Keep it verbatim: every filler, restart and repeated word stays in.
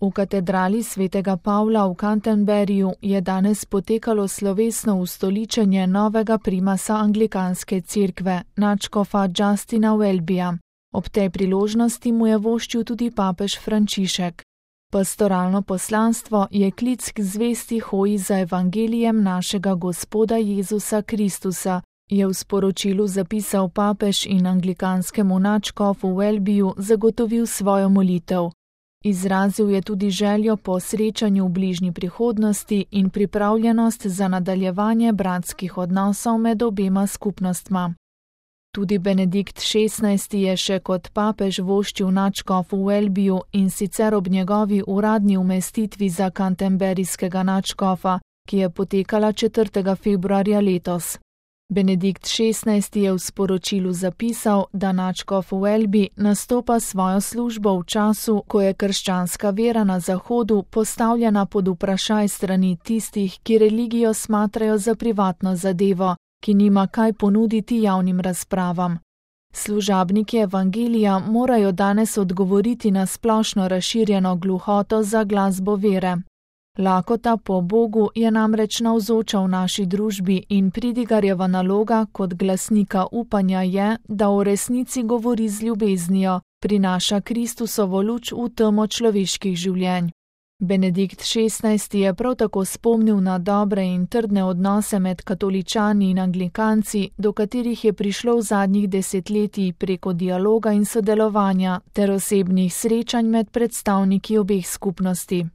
V katedrali svetega Pavla v Canterburyju je danes potekalo slovesno ustoličenje novega primasa anglikanske cerkve, nadškofa Justina Welbyja. Ob tej priložnosti mu je voščil tudi papež Frančišek. Pastoralno poslanstvo je klic k zvesti hoji za evangelijem našega Gospoda Jezusa Kristusa, je v sporočilu zapisal papež in anglikanskemu nadškofu Welbyju zagotovil svojo molitev. Izrazil je tudi željo po srečanju v bližnji prihodnosti in pripravljenost za nadaljevanje bratskih odnosov med obema skupnostma. Tudi Benedikt šestnajsti je še kot papež voščil nadškofu Welbyju in sicer ob njegovi uradni umestitvi za canterburyskega nadškofa, ki je potekala četrtega februarja letos. Benedikt šestnajsti je v sporočilu zapisal, da nadškof Welby nastopa svojo službo v času, ko je krščanska vera na Zahodu postavljena pod vprašaj strani tistih, ki religijo smatrajo za privatno zadevo, ki nima kaj ponuditi javnim razpravam. Služabniki evangelija morajo danes odgovoriti na splošno razširjeno gluhoto za glasbo vere. Lakota po Bogu je namreč navzoča v naši družbi in pridigarjeva naloga kot glasnika upanja je, da o resnici govori z ljubeznijo, prinaša Kristusovo luč v temo človeških življenj. Benedikt šestnajsti je prav tako spomnil na dobre in trdne odnose med katoličani in anglikanci, do katerih je prišlo v zadnjih desetletjih preko dialoga in sodelovanja ter osebnih srečanj med predstavniki obeh skupnosti.